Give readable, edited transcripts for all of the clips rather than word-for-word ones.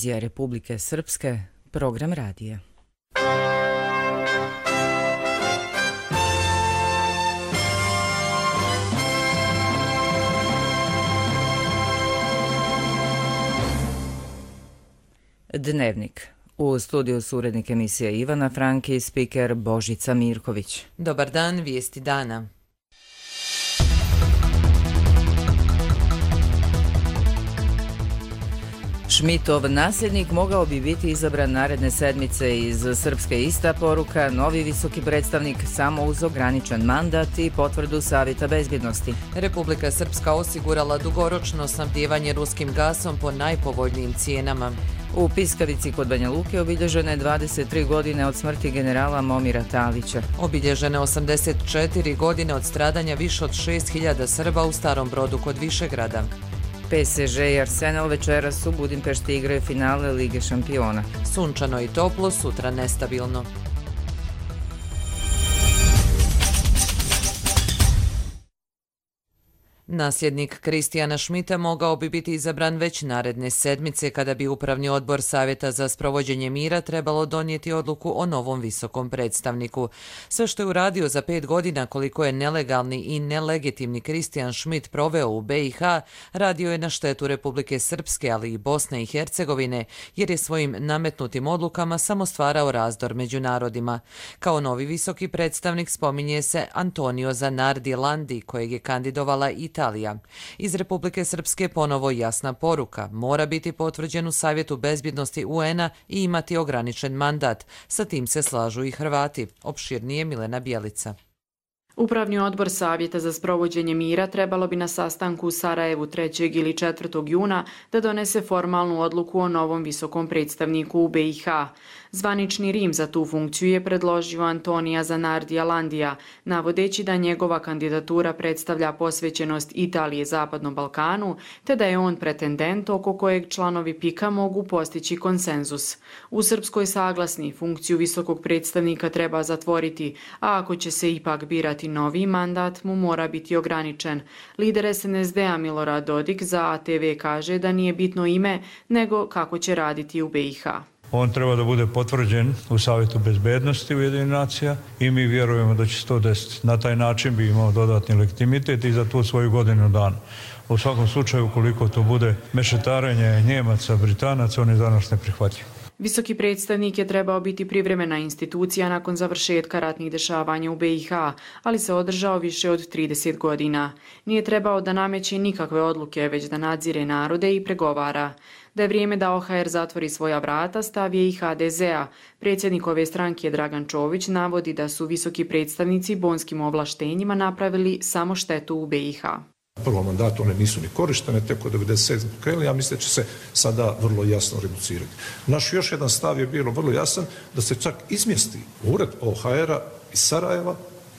Televizija Republike Srpske, program radija. Dnevnik. U studiju su urednik emisije Ivana Franki i spiker Božica Mirković. Dobar dan, vijesti dana. Šmitov nasljednik mogao bi biti izabran naredne sedmice. Iz Srpske ista poruka, novi visoki predstavnik samo uz ograničen mandat i potvrdu Savjeta bezbjednosti. Republika Srpska osigurala dugoročno snabdijevanje ruskim gasom po najpovoljnijim cijenama. U Piskavici kod Banja Luke obilježene 23 godine od smrti generala Momira Talića. Obilježene 84 godine od stradanja više od 6000 Srba u Starom Brodu kod Višegrada. PSG i Arsenal večeras u Budimpešti igraju finale Lige šampiona. Sunčano i toplo, sutra nestabilno. Nasljednik Kristijana Šmita mogao bi biti izabran već naredne sedmice kada bi Upravni odbor Savjeta za sprovođenje mira trebalo donijeti odluku o novom visokom predstavniku. Sve što je uradio za 5 godina koliko je nelegalni i nelegitimni Kristijan Šmit proveo u BiH, radio je na štetu Republike Srpske, ali i Bosne i Hercegovine, jer je svojim nametnutim odlukama samo stvarao razdor među narodima. Kao novi visoki predstavnik spominje se Antonio Zanardi Landi, kojeg je kandidovala Italija. Iz Republike Srpske ponovo jasna poruka, mora biti potvrđen u Savjetu bezbjednosti UN-a i imati ograničen mandat. Sa tim se slažu i Hrvati. Opširnije Milena Bjelica. Upravni odbor Savjeta za sprovođenje mira trebalo bi na sastanku u Sarajevu 3. ili 4. juna da donese formalnu odluku o novom visokom predstavniku u BiH. Zvanični Rim za tu funkciju je predložio Antonija Zanardija Landija, navodeći da njegova kandidatura predstavlja posvećenost Italije Zapadnom Balkanu, te da je on pretendent oko kojeg članovi PIK-a mogu postići konsenzus. U Srpskoj saglasni funkciju visokog predstavnika treba zatvoriti, a ako će se ipak birati novi mandat, mu mora biti ograničen. Lider SNSD-a Milorad Dodik za ATV kaže da nije bitno ime, nego kako će raditi u BiH. On treba da bude potvrđen u Savjetu bezbednosti Ujedinjenih nacija i mi vjerujemo da će se to desiti. Na taj način bi imao dodatni legitimitet i za tu svoju godinu dana. U svakom slučaju, ukoliko to bude mešetarenje Njemaca, Britanaca, on je za nas neprihvatljiv. Visoki predstavnik je trebao biti privremena institucija nakon završetka ratnih dešavanja u BiH, ali se održao više od 30 godina. Nije trebao da nameće nikakve odluke, već da nadzire narode i pregovara. Da je vrijeme da OHR zatvori svoja vrata, stav je i HDZ-a. Predsjednik ove stranke Dragan Čović navodi da su visoki predstavnici bonskim ovlaštenjima napravili samo štetu u BiH. U prvom mandatu one nisu ni korištene, tek od 97. krenuli, ja mislim da će se sada vrlo jasno reducirati. Naš još jedan stav je bilo vrlo jasan, da se čak izmjesti ured OHR-a iz Sarajeva,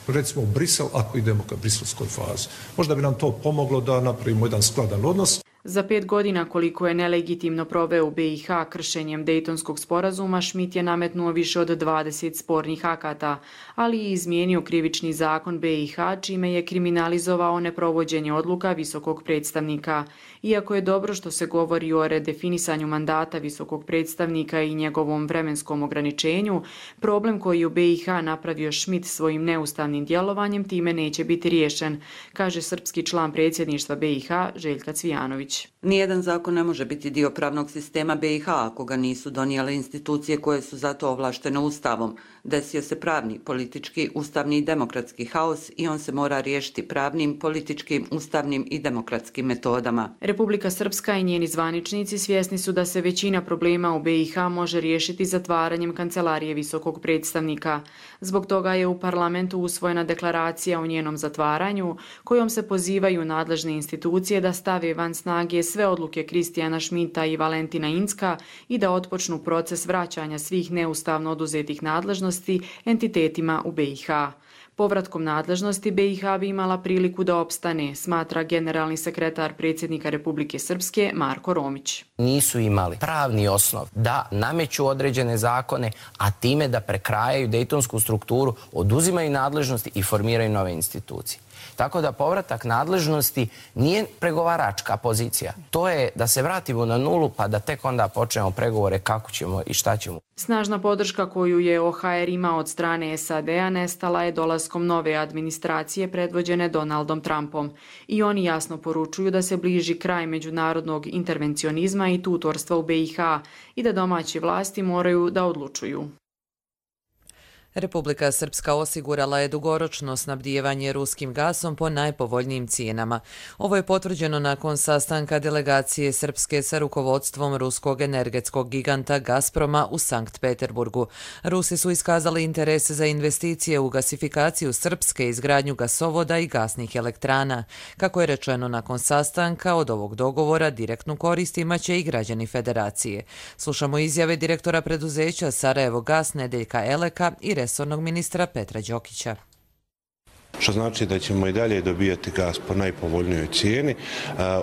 recimo u Brisel, ako idemo ka briselskoj fazi. Možda bi nam to pomoglo da napravimo jedan skladan odnos. Za 5 godina koliko je nelegitimno proveo u BiH kršenjem Dejtonskog sporazuma, Šmit je nametnuo više od 20 spornih akata, ali i izmijenio krivični zakon BiH, čime je kriminalizovao neprovođenje odluka visokog predstavnika. Iako je dobro što se govori o redefinisanju mandata visokog predstavnika i njegovom vremenskom ograničenju, problem koji u BiH napravio Šmit svojim neustavnim djelovanjem time neće biti riješen, kaže srpski član predsjedništva BiH Željka Cvijanović. Nijedan zakon ne može biti dio pravnog sistema BiH ako ga nisu donijele institucije koje su za to ovlaštene Ustavom. Desio se pravni, politički, ustavni i demokratski haos i on se mora riješiti pravnim, političkim, ustavnim i demokratskim metodama. Republika Srpska i njeni zvaničnici svjesni su da se većina problema u BiH može riješiti zatvaranjem kancelarije visokog predstavnika. Zbog toga je u parlamentu usvojena deklaracija o njenom zatvaranju, kojom se pozivaju nadležne institucije da stave van snage sve odluke Kristijana Šmita i Valentina Incka i da otpočnu proces vraćanja svih neustavno oduzetih nadležnosti entitetima u BiH. Povratkom nadležnosti BiH bi imala priliku da opstane, smatra generalni sekretar predsjednika Republike Srpske Marko Romić. Nisu imali pravni osnov da nameću određene zakone, a time da prekrajaju dejtonsku strukturu, oduzimaju nadležnosti i formiraju nove institucije. Tako da povratak nadležnosti nije pregovaračka pozicija. To je da se vratimo na nulu pa da tek onda počnemo pregovore kako ćemo i šta ćemo. Snažna podrška koju je OHR imao od strane SAD-a nestala je dolaskom nove administracije predvođene Donaldom Trumpom. I oni jasno poručuju da se bliži kraj međunarodnog intervencionizma i tutorstva u BiH i da domaće vlasti moraju da odlučuju. Republika Srpska osigurala je dugoročno snabdijevanje ruskim gasom po najpovoljnijim cijenama. Ovo je potvrđeno nakon sastanka delegacije Srpske sa rukovodstvom ruskog energetskog giganta Gazproma u Sankt Peterburgu. Rusi su iskazali interes za investicije u gasifikaciju Srpske, izgradnju gasovoda i gasnih elektrana. Kako je rečeno nakon sastanka, od ovog dogovora direktnu korist imaće i građani federacije. Slušamo izjave direktora preduzeća Sarajevo Gas Nedeljka Eleka i resornog ministra Petra Đokića. Što znači da ćemo i dalje dobijati gas po najpovoljnijoj cijeni.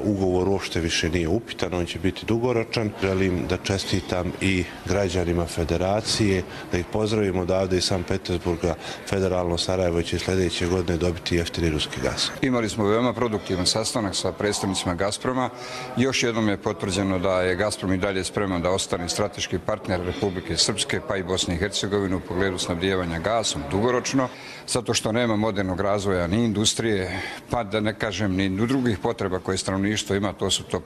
Ugovor uopšte više nije upitan, on će biti dugoročan. Želim da čestitam i građanima federacije, da ih pozdravimo odavde iz Sankt Petersburga. Federalno Sarajevo će sljedeće godine dobiti jeftini ruski gas. Imali smo veoma produktivan sastanak sa predstavnicima Gazproma. Još jednom je potvrđeno da je Gazprom i dalje spreman da ostane strateški partner Republike Srpske pa i Bosne i Hercegovine u pogledu snabdijevanja gasom dugoročno, zato što nema modernog razvoja ni industrije, pa da ne kažem ni drugih potreba koje stanovništvo ima,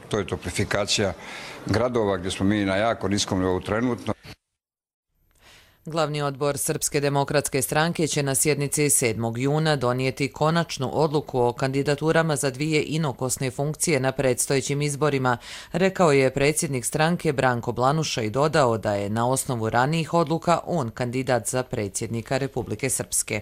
to je toplifikacija gradova gdje smo mi na jako niskom nivou trenutno. Glavni odbor Srpske demokratske stranke će na sjednici 7. juna donijeti konačnu odluku o kandidaturama za 2 inokosne funkcije na predstojećim izborima, rekao je predsjednik stranke Branko Blanuša i dodao da je na osnovu ranijih odluka on kandidat za predsjednika Republike Srpske.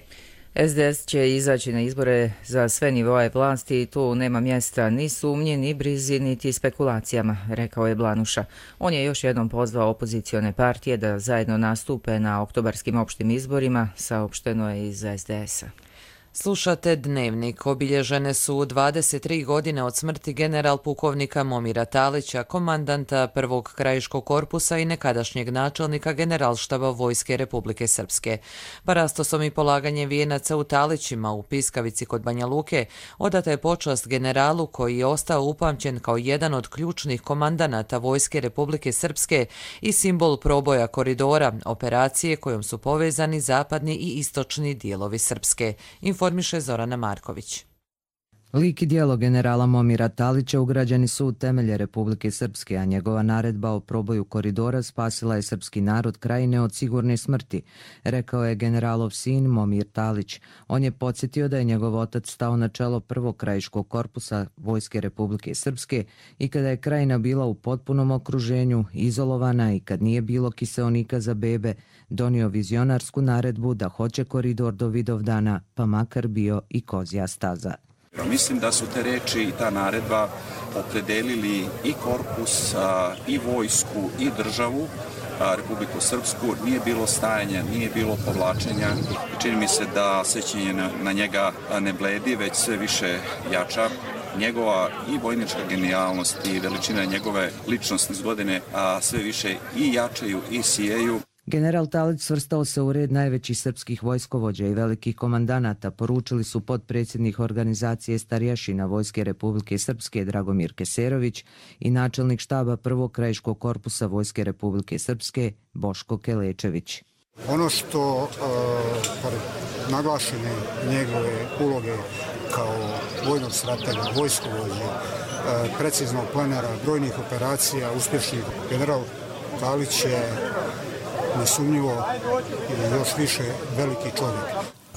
SDS će izaći na izbore za sve nivoe vlasti i tu nema mjesta ni sumnji, ni brizi, niti spekulacijama, rekao je Blanuša. On je još jednom pozvao opozicione partije da zajedno nastupe na oktobarskim opštim izborima, saopšteno je iz SDS-a. Slušate Dnevnik. Obilježene su 23 godine od smrti general pukovnika Momira Talića, komandanta prvog krajiškog korpusa i nekadašnjeg načelnika generalštaba Vojske Republike Srpske. Parastosom i polaganjem vijenaca u Talićima u Piskavici kod Banja Luke odata je počast generalu koji je ostao upamćen kao jedan od ključnih komandanata Vojske Republike Srpske i simbol proboja koridora, operacije kojom su povezani zapadni i istočni dijelovi Srpske. Informiše Zorana Marković. Lik i djelo generala Momira Talića ugrađeni su u temelje Republike Srpske, a njegova naredba o proboju koridora spasila je srpski narod Krajine od sigurne smrti, rekao je generalov sin Momir Talić. On je podsjetio da je njegov otac stao na čelo prvog krajiškog korpusa Vojske Republike Srpske i kada je Krajina bila u potpunom okruženju, izolovana i kad nije bilo kiseonika za bebe, donio vizionarsku naredbu da hoće koridor do Vidovdana, pa makar bio i kozja staza. Mislim da su te reči i ta naredba opredelili i korpus, i vojsku, i državu, Republiku Srpsku. Nije bilo stajanja, nije bilo povlačenja. Čini mi se da sećanje na njega ne bledi, već sve više jača. Njegova i vojnička genijalnost i veličina njegove ličnosti iz godine sve više i jačaju i sijeju. General Talić svrstao se u red najvećih srpskih vojskovođa i velikih komandanata, poručili su potpredsjednik organizacije starješina Vojske Republike Srpske Dragomir Keserović i načelnik štaba prvog krajiškog korpusa Vojske Republike Srpske Boško Kelečević. Ono što pored naglašene njegove uloge kao vojnog stratega, vojskovođe, preciznog planera, brojnih operacija, uspješnih, general Talić je nesumnjivo i još više veliki čovjek.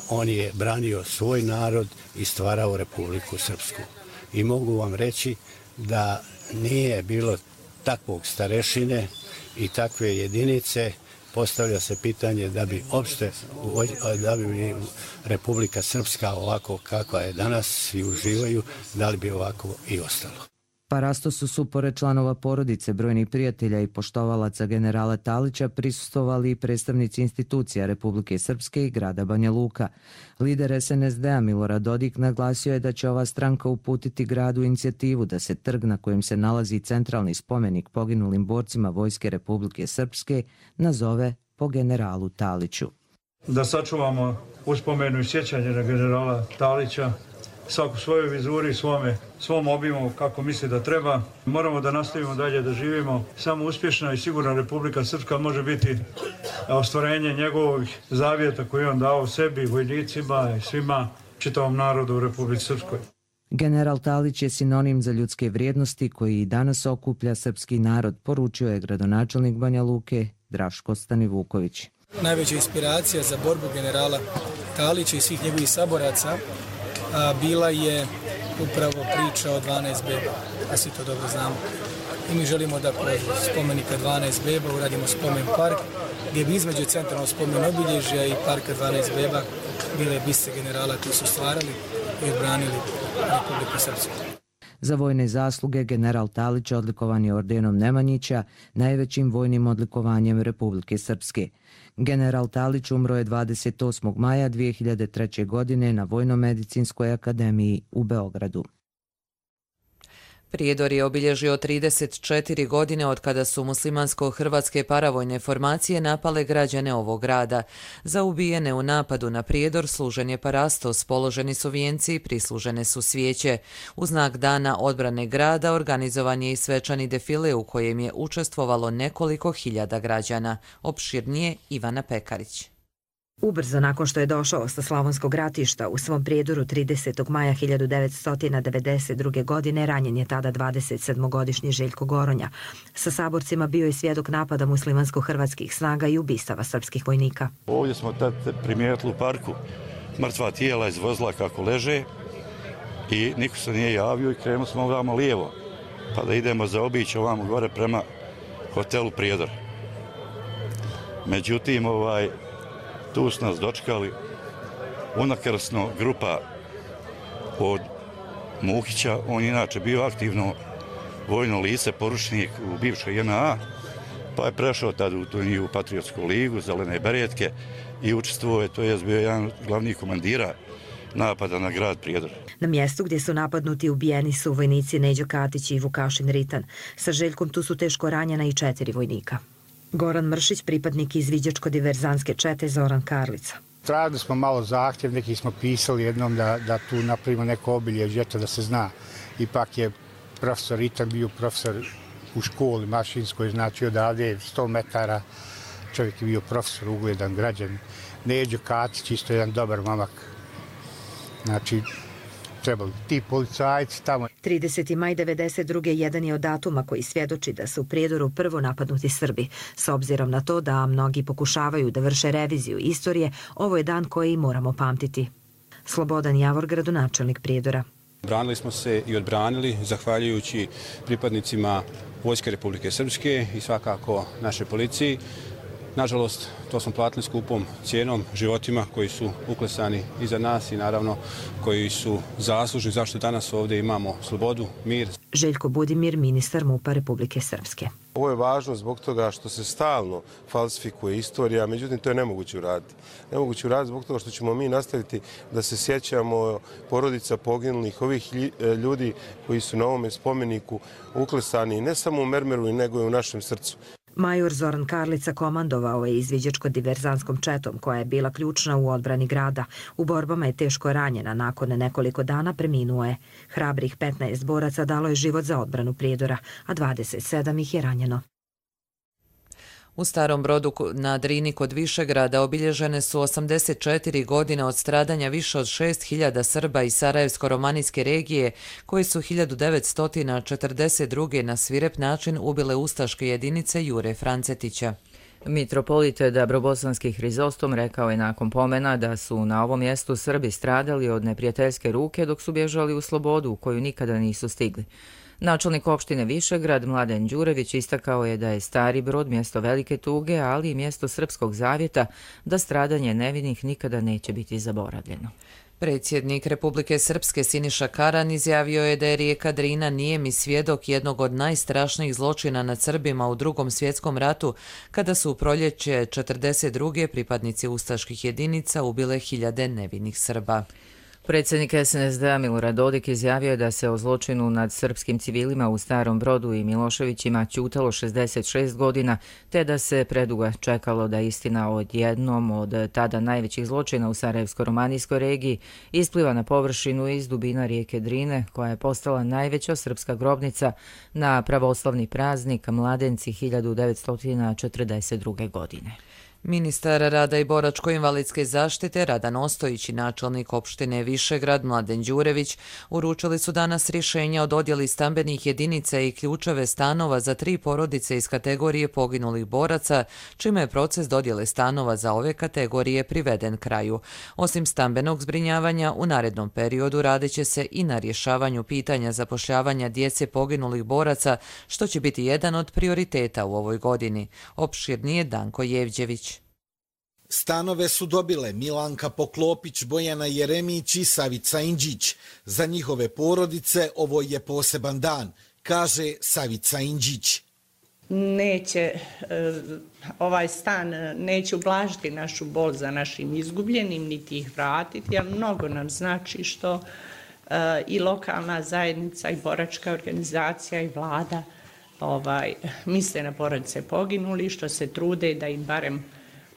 On je branio svoj narod i stvarao Republiku Srpsku. I mogu vam reći da nije bilo takvog starešine i takve jedinice, postavlja se pitanje da bi Republika Srpska ovako kakva je danas, svi uživaju, da li bi ovako i ostalo. Parastosu su, pored članova porodice, brojnih prijatelja i poštovalaca generala Talića, prisustvovali i predstavnici institucija Republike Srpske i grada Banja Luka. Lider SNSD-a Milorad Dodik naglasio je da će ova stranka uputiti gradu inicijativu da se trg na kojem se nalazi centralni spomenik poginulim borcima Vojske Republike Srpske nazove po generalu Taliću. Da sačuvamo uspomenu i sjećanje na generala Talića svako svojoj vizuri, svom obimu kako misli da treba. Moramo da nastavimo dalje da živimo. Samo uspješna i sigurna Republika Srpska može biti ostvarenje njegovih zavjeta koje on dao sebi, vojnicima i svima, čitavom narodu u Republici Srpskoj. General Talić je sinonim za ljudske vrijednosti koji i danas okuplja srpski narod, poručio je gradonačelnik Banja Luke Draško Stanivuković. Najveća inspiracija za borbu generala Talića i svih njegovih saboraca bila je upravo priča o 12 beba, a svi to dobro znamo. I mi želimo da kroz spomenika 12 beba uradimo spomen park, gdje bi između centralnog spomen obilježja i parka 12 beba bile biste generala koji su stvarali i odbranili Republiku Srpsku. Za vojne zasluge general Talić odlikovan je ordenom Nemanjića, najvećim vojnim odlikovanjem Republike Srpske. General Talić umro je 28. maja 2003. godine na Vojno-medicinskoj akademiji u Beogradu. Prijedor je obilježio 34 godine od kada su muslimansko-hrvatske paravojne formacije napale građane ovog grada. Za ubijene u napadu na Prijedor služen je parastos, položeni su vijenci i prislužene su svijeće. U znak dana odbrane grada organizovan je i svečani defile u kojem je učestvovalo nekoliko hiljada građana. Opširnije Ivana Pekarić. Ubrzo nakon što je došao sa Slavonskog ratišta u svom Prijedoru 30. maja 1992. godine ranjen je tada 27-godišnji Željko Goronja. Sa saborcima bio je svjedok napada muslimansko-hrvatskih snaga i ubistava srpskih vojnika. Ovdje smo tad primijetili u parku mrtva tijela iz vozila kako leže i niko se nije javio i krenuli smo ovamo lijevo pa da idemo zaobići ovamo gore prema hotelu Prijedor. Međutim, tu su nas dočekali unakrsno grupa od Muhića. On je inače bio aktivno vojno lice, poručnik u bivšoj JNA, pa je prešao tada u tu njihovu patriotsku ligu, zelene beretke i učestvovao je, to je bio jedan od glavnih komandira napada na grad Prijedor. Na mjestu gdje su napadnuti ubijeni su vojnici Neđo Katić i Vukašin Ritan. Sa Željkom tu su teško ranjena i 4 vojnika. Goran Mršić, pripadnik izviđačko-diverzanske čete Zoran Karlica. Tražili smo malo zahtjev, neki smo pisali jednom da tu napravimo neko obilježje, da se zna. Ipak je profesor Ritan bio profesor u školi mašinskoj, znači odavde 100 metara. Čovjek je bio profesor, ugledan građan. Neđo Katić, isto jedan dobar mamak. Znači, trebali ti policajci tamo. 30. maj 1992. jedan je od datuma koji svjedoči da su u Prijedoru prvo napadnuti Srbi. S obzirom na to da mnogi pokušavaju da vrše reviziju istorije, ovo je dan koji moramo pamtiti. Slobodan Javor, gradonačelnik Prijedora. Branili smo se i odbranili zahvaljujući pripadnicima Vojske Republike Srpske i svakako naše policiji. Nažalost, to smo platili skupom cijenom, životima koji su uklesani iza nas i naravno koji su zaslužni zašto danas ovdje imamo slobodu, mir. Željko Budimir, ministar MUP-a Republike Srpske. Ovo je važno zbog toga što se stalno falsifikuje istorija, međutim to je nemoguće uraditi. Nemoguće uraditi zbog toga što ćemo mi nastaviti da se sjećamo porodica poginulih, ovih ljudi koji su na ovome spomeniku uklesani ne samo u mermeru, nego i u našem srcu. Major Zoran Karlica komandovao je izviđačko-diverzanskom četom koja je bila ključna u odbrani grada. U borbama je teško ranjena, nakon nekoliko dana preminuo je. Hrabrih 15 boraca dalo je život za odbranu Prijedora, a 27 ih je ranjeno. U Starom Brodu na Drini kod Višegrada obilježene su 84 godine od stradanja više od 6.000 Srba iz Sarajevsko-romanijske regije koji su 1942. na svirep način ubile ustaške jedinice Jure Francetića. Mitropolit Dabrobosanski Hrizostom rekao je nakon pomena da su na ovom mjestu Srbi stradali od neprijateljske ruke dok su bježali u slobodu u koju nikada nisu stigli. Načelnik opštine Višegrad Mladen Đurević istakao je da je Stari Brod mjesto velike tuge, ali i mjesto srpskog zavjeta, da stradanje nevinih nikada neće biti zaboravljeno. Predsjednik Republike Srpske Siniša Karan izjavio je da je rijeka Drina nijemi svjedok jednog od najstrašnijih zločina nad Srbima u Drugom svjetskom ratu, kada su u proljeće 1942. pripadnici ustaških jedinica ubile hiljade nevinih Srba. Predsjednik SNSD-a Milorad Dodik izjavio je da se o zločinu nad srpskim civilima u Starom Brodu i Miloševićima ćutalo 66 godina, te da se predugo čekalo da istina o jednom od tada najvećih zločina u Sarajevsko-romanijskoj regiji ispliva na površinu iz dubina rijeke Drine, koja je postala najveća srpska grobnica na pravoslavni praznik Mladenci 1942. godine. Ministar rada i boračko-invalidske zaštite Radan Ostojić i načelnik opštine Višegrad Mladen Đurević uručili su danas rješenja o dodjeli stambenih jedinica i ključeve stanova za 3 porodice iz kategorije poginulih boraca, čime je proces dodjele stanova za ove kategorije priveden kraju. Osim stambenog zbrinjavanja, u narednom periodu radit će se i na rješavanju pitanja zapošljavanja djece poginulih boraca, što će biti jedan od prioriteta u ovoj godini. Opširnije Danko Jevđević. Stanove su dobile Milanka Poklopić, Bojana Jeremić i Savica Indžić. Za njihove porodice ovo je poseban dan, kaže Savica Indžić. Ovaj stan neće ublažiti našu bol za našim izgubljenim, niti ih vratiti, ali mnogo nam znači što i lokalna zajednica i boračka organizacija i vlada misle na porodice poginuli, što se trude da im barem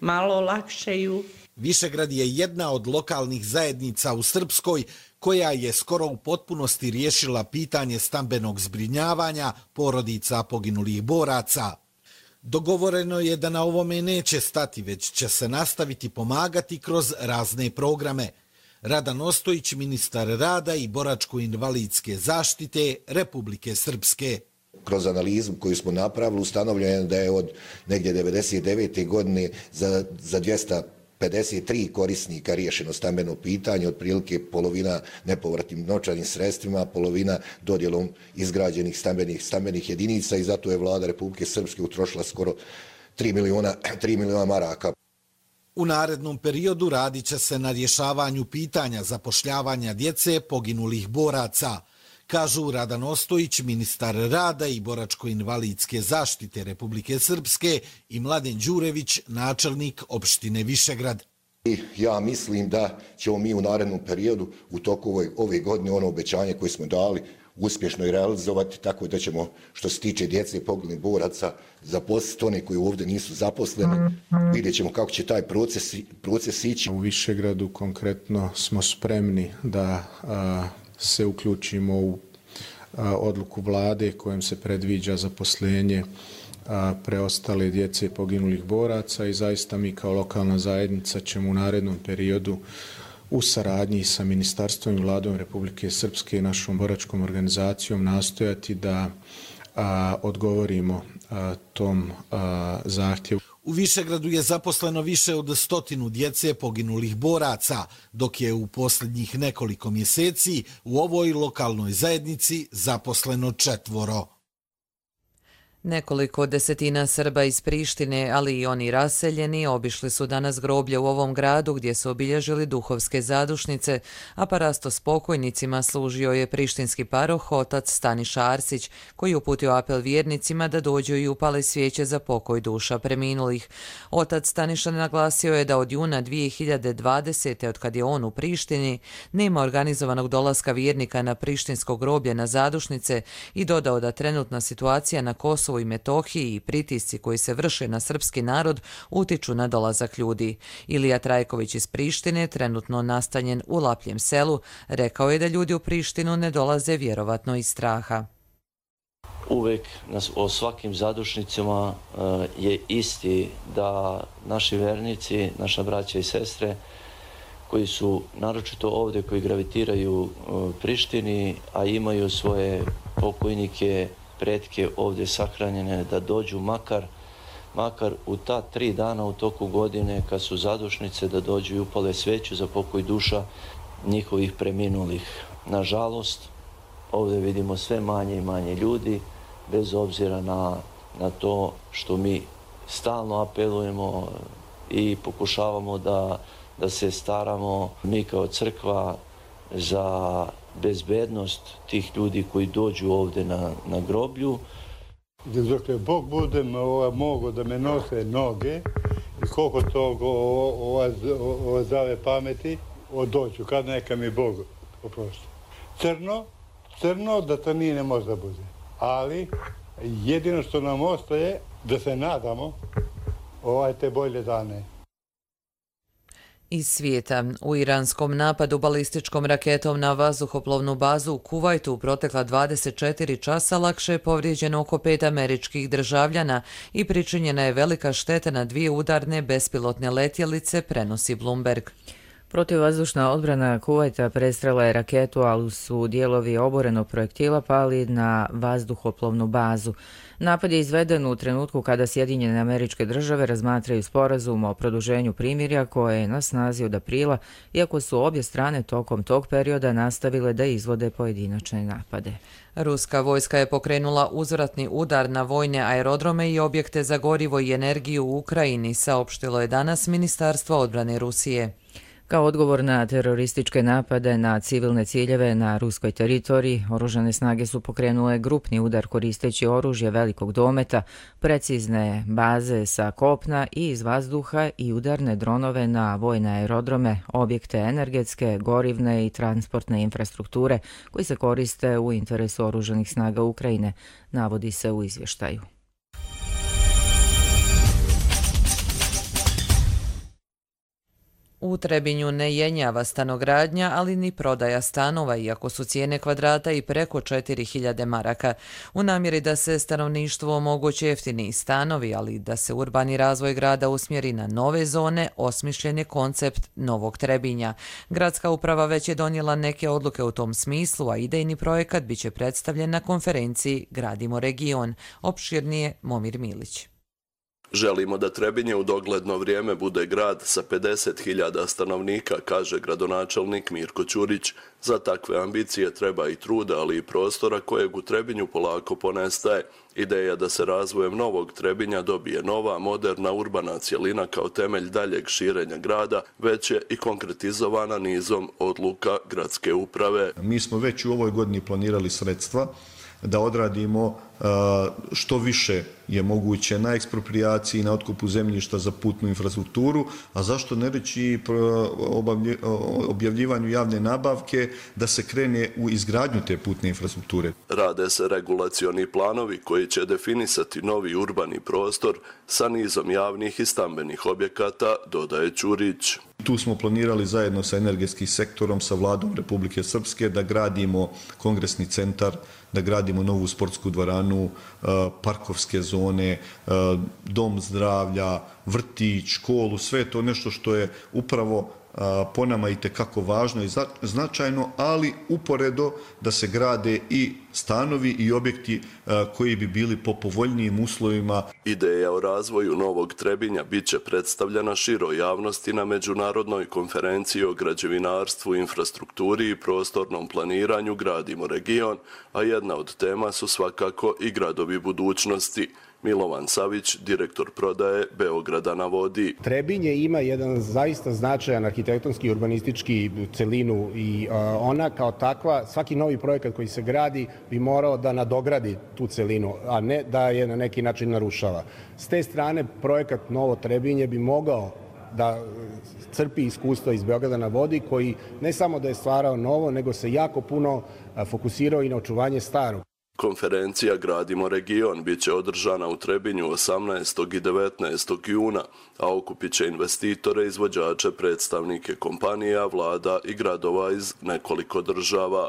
malo olakšaju. Višegrad je jedna od lokalnih zajednica u Srpskoj koja je skoro u potpunosti riješila pitanje stambenog zbrinjavanja porodica poginulih boraca. Dogovoreno je da na ovome neće stati, već će se nastaviti pomagati kroz razne programe. Radan Ostojić, ministar rada i boračko-invalidske zaštite Republike Srpske. Kroz analizu koju smo napravili ustanovljeno da je od negdje 1999. godine za 253 korisnika riješeno stambeno pitanje, otprilike polovina nepovratnim novčanim sredstvima, polovina dodjelom izgrađenih stambenih jedinica i zato je vlada Republike Srpske utrošila skoro 3 miliona maraka. U narednom periodu radit će se na rješavanju pitanja zapošljavanja djece poginulih boraca, kažu Radan Ostojić, ministar rada i boračko-invalidske zaštite Republike Srpske i Mladen Đurević, načelnik opštine Višegrad. Ja mislim da ćemo mi u narednom periodu u toku ove godine ono obećanje koje smo dali uspješno i realizovati, tako da ćemo, što se tiče djece poginulih boraca, zaposliti one koji ovdje nisu zaposleni. Vidjet ćemo kako će taj proces ići. U Višegradu konkretno smo spremni da se uključimo u odluku vlade kojom se predviđa zaposlenje preostale djece poginulih boraca i zaista mi kao lokalna zajednica ćemo u narednom periodu u saradnji sa Ministarstvom i Vladom Republike Srpske i našom boračkom organizacijom nastojati da odgovorimo tom zahtjevu. U Višegradu je zaposleno više od 100 djece poginulih boraca, dok je u posljednjih nekoliko mjeseci u ovoj lokalnoj zajednici zaposleno 4. Nekoliko desetina Srba iz Prištine, ali i oni raseljeni, obišli su danas groblje u ovom gradu gdje su obilježili duhovske zadušnice, a parasto s pokojnicima služio je prištinski paroh otac Staniša Arsić, koji uputio apel vjernicima da dođu i upale svijeće za pokoj duša preminulih. Otac Staniša naglasio je da od juna 2020. od kad je on u Prištini, nema organizovanog dolaska vjernika na prištinsko groblje na zadušnice i dodao da trenutna situacija na Kosovu i Metohiji i pritisci koji se vrše na srpski narod utiču na dolazak ljudi. Ilija Trajković iz Prištine, trenutno nastanjen u Lapljem selu, rekao je da ljudi u Prištinu ne dolaze vjerovatno iz straha. Uvek o svakim zadušnicama je isti da naši vernici, naša braća i sestre, koji su naročito ovdje, koji gravitiraju Prištini, a imaju svoje pokojnike, pretke ovdje sahranjene, da dođu makar u ta 3 dana u toku godine kad su zadušnice, da dođu i upale sveću za pokoj duša njihovih preminulih. Nažalost, ovdje vidimo sve manje i manje ljudi, bez obzira na to što mi stalno apelujemo i pokušavamo da se staramo mi kao crkva za bezbednost tih ljudi koji dođu ovdje na groblju. Dokle Bog bude mogo da me nose noge i koliko toga ova zave pameti, doću, kad neka mi Bog oprosti. Crno da to nije ne može da bude. Ali jedino što nam ostaje da se nadamo te bolje dane. Iz svijeta. U iranskom napadu balističkom raketom na vazduhoplovnu bazu u Kuvajtu u protekla 24 časa lakše je povrijeđeno oko 5 američkih državljana i pričinjena je velika šteta na 2 udarne bespilotne letjelice, prenosi Bloomberg. Protivvazdušna odbrana Kuvajta prestrela je raketu, ali su dijelovi oborenog projektila pali na vazduhoplovnu bazu. Napad je izveden u trenutku kada Sjedinjene Američke Države razmatraju sporazum o produženju primirja koje je na snazi od aprila, iako su obje strane tokom tog perioda nastavile da izvode pojedinačne napade. Ruska vojska je pokrenula uzvratni udar na vojne aerodrome i objekte za gorivo i energiju u Ukrajini, saopštilo je danas Ministarstvo odbrane Rusije. Kao odgovor na terorističke napade na civilne ciljeve na ruskoj teritoriji, oružane snage su pokrenule grupni udar koristeći oružje velikog dometa, precizne baze sa kopna i iz vazduha i udarne dronove na vojne aerodrome, objekte energetske, gorivne i transportne infrastrukture koji se koriste u interesu oružanih snaga Ukrajine, navodi se u izvještaju. U Trebinju ne jenjava stanogradnja, ali ni prodaja stanova, iako su cijene kvadrata i preko 4000 maraka. U namjeri da se stanovništvu omoguće jeftini stanovi, ali da se urbani razvoj grada usmjeri na nove zone, osmišljen je koncept Novog Trebinja. Gradska uprava već je donijela neke odluke u tom smislu, a idejni projekat biće predstavljen na konferenciji Gradimo region. Opširnije Momir Milić. Želimo da Trebinje u dogledno vrijeme bude grad sa 50.000 stanovnika, kaže gradonačelnik Mirko Ćurić. Za takve ambicije treba i truda, ali i prostora kojeg u Trebinju polako ponestaje. Ideja da se razvojem Novog Trebinja dobije nova, moderna urbana cjelina kao temelj daljeg širenja grada, već je i konkretizovana nizom odluka gradske uprave. Mi smo već u ovoj godini planirali sredstva da odradimo što više je moguće na eksproprijaciji, na otkupu zemljišta za putnu infrastrukturu, a zašto ne reći objavljivanju javne nabavke da se krene u izgradnju te putne infrastrukture. Rade se regulacioni planovi koji će definisati novi urbani prostor sa nizom javnih i stambenih objekata, dodaje Ćurić. Tu smo planirali zajedno sa energetskim sektorom, sa vladom Republike Srpske da gradimo kongresni centar, da gradimo novu sportsku dvoranu, parkovske zone, dom zdravlja, vrtić, školu, sve je to nešto što je upravo po nama itekako važno i značajno, ali uporedo da se grade i stanovi i objekti koji bi bili po povoljnijim uslovima. Ideja o razvoju Novog Trebinja bit će predstavljena široj javnosti na međunarodnoj konferenciji o građevinarstvu, infrastrukturi i prostornom planiranju Gradimo region, a jedna od tema su svakako i gradovi budućnosti. Milovan Savić, direktor prodaje Beograda na vodi. Trebinje ima jedan zaista značajan arhitektonski i urbanistički celinu i ona kao takva, svaki novi projekat koji se gradi bi morao da nadogradi tu celinu, a ne da je na neki način narušava. S te strane projekat Novo Trebinje bi mogao da crpi iskustva iz Beograda na vodi koji ne samo da je stvarao novo, nego se jako puno fokusirao i na očuvanje starog. Konferencija Gradimo region bit će održana u Trebinju 18. i 19. juna, a okupit će investitore, izvođače, predstavnike kompanija, vlada i gradova iz nekoliko država.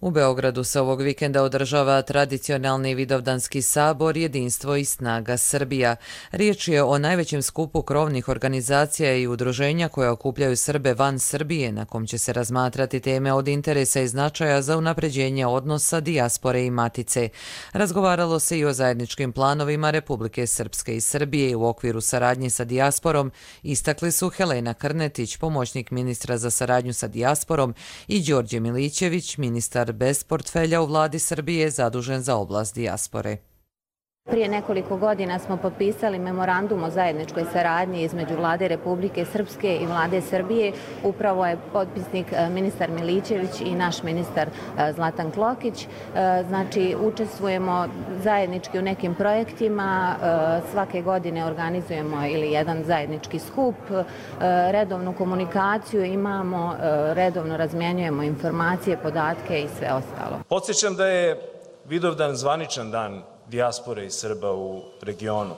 U Beogradu se ovog vikenda održava tradicionalni Vidovdanski sabor Jedinstvo i snaga Srbija. Riječ je o najvećem skupu krovnih organizacija i udruženja koja okupljaju Srbe van Srbije, na kom će se razmatrati teme od interesa i značaja za unapređenje odnosa dijaspore i matice. Razgovaralo se i o zajedničkim planovima Republike Srpske i Srbije u okviru saradnje sa dijasporom, istakli su Helena Krnetić, pomoćnik ministra za saradnju sa dijasporom, i Đorđe Milićević, ministar bez portfelja u vladi Srbije zadužen za oblast dijaspore. Prije nekoliko godina smo potpisali memorandum o zajedničkoj saradnji između Vlade Republike Srpske i Vlade Srbije. Upravo je potpisnik ministar Milićević i naš ministar Zlatan Klokić. Znači, učestvujemo zajednički u nekim projektima. Svake godine organizujemo ili jedan zajednički skup. Redovnu komunikaciju imamo, redovno razmjenjujemo informacije, podatke i sve ostalo. Podsjećam da je Vidovdan zvaničan dan dijaspore i Srba u regionu.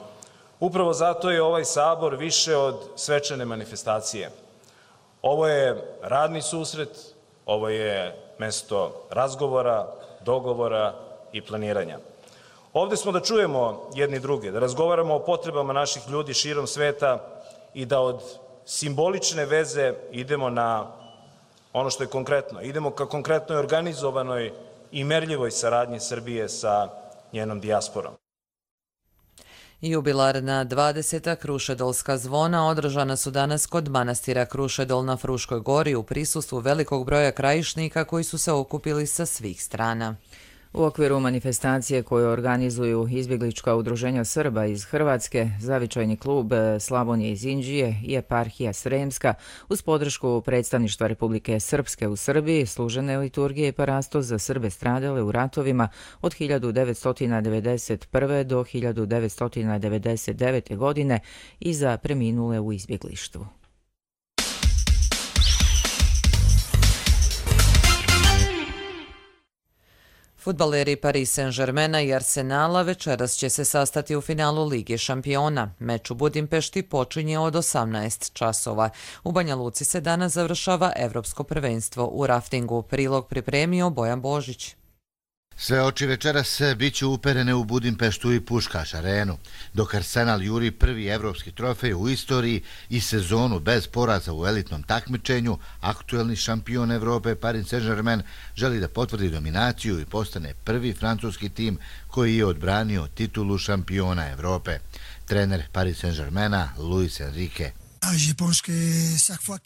Upravo zato je ovaj sabor više od svečane manifestacije. Ovo je radni susret, ovo je mesto razgovora, dogovora i planiranja. Ovde smo da čujemo jedni druge, da razgovaramo o potrebama naših ljudi širom sveta i da od simbolične veze idemo na ono što je konkretno. Idemo ka konkretnoj organizovanoj i merljivoj saradnji Srbije sa njenom dijasporom. Jubilarna 20. Krušedolska zvona održana su danas kod manastira Krušedol na Fruškoj gori u prisustvu velikog broja krajišnika koji su se okupili sa svih strana. U okviru manifestacije koju organizuju izbjeglička udruženja Srba iz Hrvatske, Zavičajni klub Slavonije iz Inđije i Eparhija Sremska uz podršku predstavništva Republike Srpske u Srbiji služene liturgije i parastos za Srbe stradale u ratovima od 1991. do 1999. godine i za preminule u izbjeglištvu. Fudbaleri Paris Saint-Germaina i Arsenala večeras će se sastati u finalu Lige šampiona. Meč u Budimpešti počinje od 18 časova. U Banja Luci se danas završava Evropsko prvenstvo u raftingu. Prilog pripremio Bojan Božić. Sve oči večeras biće uperene u Budimpeštu i Puškaš arenu, dok Arsenal juri prvi evropski trofej u istoriji i sezonu bez poraza u elitnom takmičenju, aktuelni šampion Evrope Paris Saint-Germain želi da potvrdi dominaciju i postane prvi francuski tim koji je odbranio titulu šampiona Evrope. Trener Paris Saint-Germaina Luis Enrique.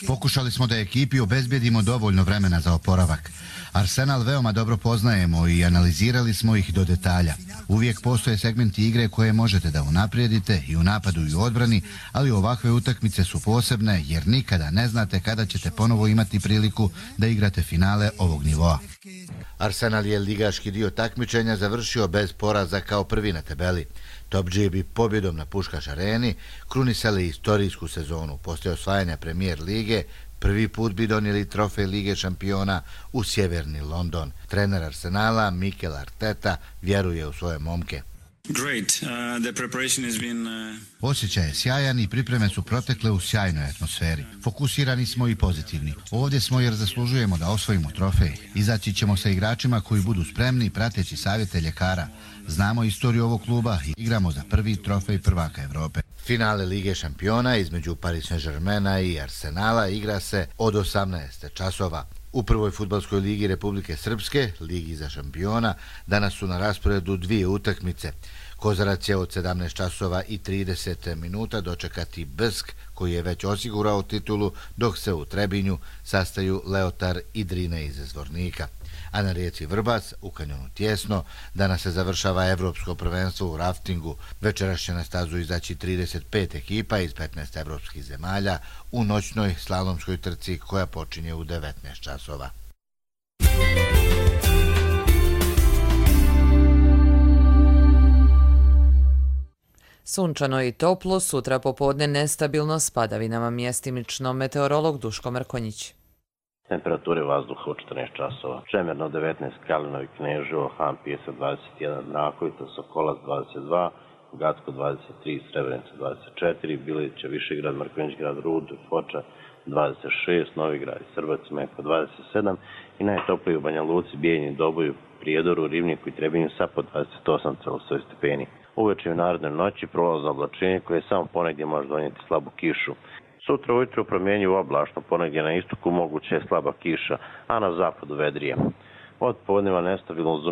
Pokušali smo da ekipi obezbedimo dovoljno vremena za oporavak. Arsenal veoma dobro poznajemo i analizirali smo ih do detalja. Uvijek postoje segmenti igre koje možete da unaprijedite i u napadu i u odbrani, ali ovakve utakmice su posebne jer nikada ne znate kada ćete ponovo imati priliku da igrate finale ovog nivoa. Arsenal je ligaški dio takmičenja završio bez poraza kao prvi na tabeli. Top G bi pobjedom na Puškaš areni krunisali istorijsku sezonu. Poslije osvajanja Premier lige, prvi put bi donijeli trofej Lige šampiona u sjeverni London. Trener Arsenala Mikel Arteta vjeruje u svoje momke. Osjećaj je sjajan i pripreme su protekle u sjajnoj atmosferi. Fokusirani smo i pozitivni. Ovdje smo jer zaslužujemo da osvojimo trofej. Izaći ćemo sa igračima koji budu spremni prateći savjete ljekara. Znamo istoriju ovog kluba i igramo za prvi trofej prvaka Evrope. Finale Lige šampiona između Paris Saint-Germaina i Arsenala igra se od 18 časova. U prvoj fudbalskoj ligi Republike Srpske, Ligi za šampiona, danas su na rasporedu dvije utakmice. Kozarac će od 17 časova i 30 minuta dočekati Brsk, koji je već osigurao titulu, dok se u Trebinju sastaju Leotar i Drine iz Zvornika. A na rijeci Vrbas, u kanjonu Tjesno, danas se završava Evropsko prvenstvo u raftingu. Večeras će na stazu izaći 35 ekipa iz 15 evropskih zemalja u noćnoj slalomskoj trci koja počinje u 19 časova. Sunčano i toplo, sutra popodne nestabilno s padavinama, mjestimično meteorolog Duško Mrkonjić. Temperature vazduha u 14 časova. Čemerno 19, Kalinovi Kneževo, Han Pjesak 21, Mrakovica, Sokolac 22, Gacko 23, Srebrenica 24, Bilića, Višegrad, Mrkonjić grad, Rud, Foča 26, Novigrad i Srbac, Meko 27 i najtopliji u Banja Luci, Bijeljini, Doboju, Prijedoru, Rivniku i Trebinju sa po 28,7 stepeni. Uveče i u narednoj noći prolazno oblačenje koje samo ponegdje može donijeti slabu kišu. Sutra ujutro promjenjivo oblačno, ponegdje na istoku moguće je slaba kiša, a na zapadu vedrije. Od podneva nestabilno uz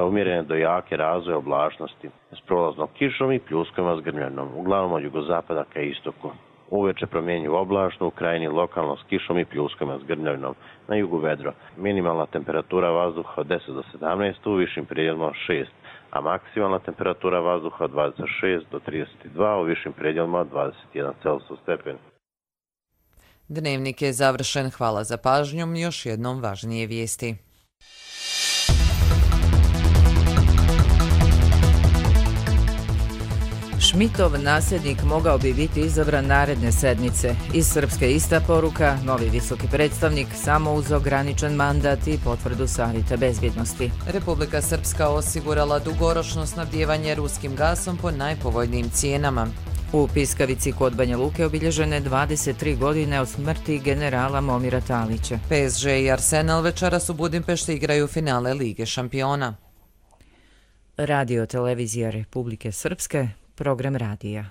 umjerene do jake razvoje oblačnosti s prolaznom kišom i pljuskovima s grmljanom, uglavnom od jugozapada ka istoku. Uveče promjenjivo oblačno, u krajini lokalno s kišom i pljuskovima s grmljavinom, na jugu vedro. Minimalna temperatura vazduha od 10 do 17, u višim prijedjelima 6, a maksimalna temperatura vazduha 26 do 32, u višim predjelima 21 Celsius stepeni. Dnevnik je završen. Hvala za pažnjom. Još jednom važnije vijesti. Šmitov nasljednik mogao bi biti izabran naredne sedmice. Iz Srpske ista poruka, novi visoki predstavnik samo uz ograničen mandat i potvrdu Savjeta bezbjednosti. Republika Srpska osigurala dugoročno snabdijevanje ruskim gasom po najpovoljnijim cijenama. U Piskavici kod Banja Luke obilježene 23 godine od smrti generala Momira Talića. PSG i Arsenal večeras u Budimpešti igraju finale Lige šampiona. Radio televizija Republike Srpske, program radija.